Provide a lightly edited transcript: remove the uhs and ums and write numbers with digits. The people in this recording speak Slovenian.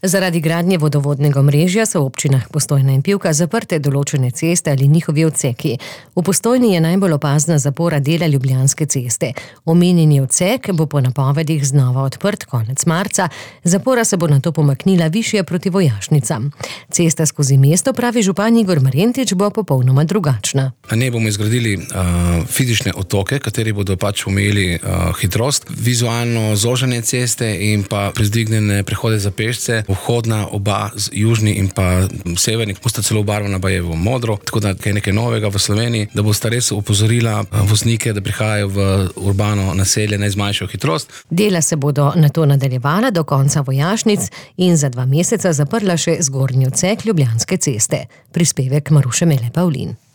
Zaradi gradnje vodovodnega omrežja so v občinah Postojna in Pivka zaprte določene ceste ali njihovi odseki. V Postojni je najbolj opazna zapora dela Ljubljanske ceste. Omenjeni odsek bo po napovedih znova odprt konec marca, zapora se bo nato pomaknila višje proti Vojašnicam. Cesta skozi mesto, pravi župan Igor Marjentič, bo popolnoma drugačna. Na njej bomo izgradili fizične otoke, kateri bodo omejili hitrost, vizualno zoženje ceste in pa privzdignjene prehode za pešce. Vhodna oba, južni in pa severni, bosta celo obarvana baje v modro, tako da je nekaj novega v Sloveniji, da bosta res opozorila voznike, da prihajajo v urbano naselje, naj zmanjšajo hitrost. Dela se bodo nato nadaljevala do konca Vojašnic in za 2 meseca zaprla še zgornji odsek Ljubljanske ceste. Prispevek Maruše Mele Pavlin.